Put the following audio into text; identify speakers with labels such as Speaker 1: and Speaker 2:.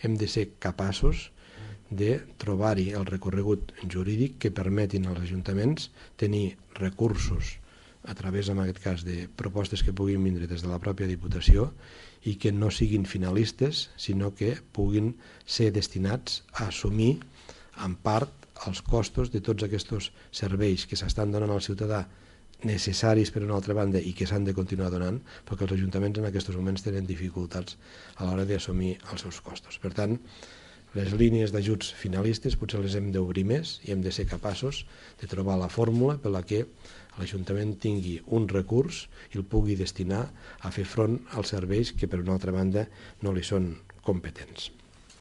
Speaker 1: hem de ser capaços de trobar-hi el recorregut jurídic que permetin als ajuntaments tenir recursos a través, en aquest cas, de propostes que puguin vindre des de la pròpia Diputació i que no siguin finalistes, sinó que puguin ser destinats a assumir en part els costos de tots aquests serveis que s'estan donant al ciutadà, necessaris per una altra banda i que s'han de continuar donant, perquè els ajuntaments en aquests moments tenen dificultats a l'hora d'assumir els seus costos. Per tant, les línies d'ajuts finalistes potser les hem d'obrir més i hem de ser capaços de trobar la fórmula per la que l'Ajuntament tingui un recurs i el pugui destinar a fer front als serveis que per una altra banda no li són competents.